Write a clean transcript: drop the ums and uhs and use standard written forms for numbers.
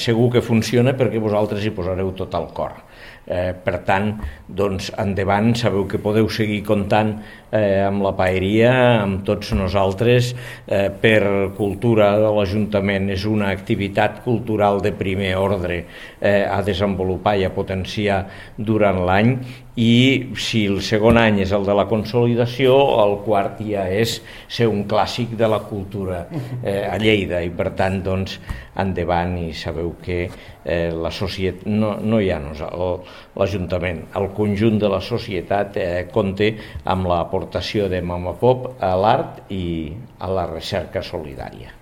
segur que funciona perquè vosaltres hi posareu tot el cor. Per tant, doncs, endavant, sabeu que podeu seguir comptant amb la paeria, amb tots nosaltres. Per cultura de l'Ajuntament és una activitat cultural de primer ordre a desenvolupar i a potenciar durant l'any, i si el segon any és el de la consolidació, el quart ja és ser un clàssic de la cultura a Lleida, i per tant, doncs, endavant, i sabeu que la societat, no hi ha l'Ajuntament, el conjunt de la societat compta amb l'aportació de Mama Pop a l'art i a la recerca solidària.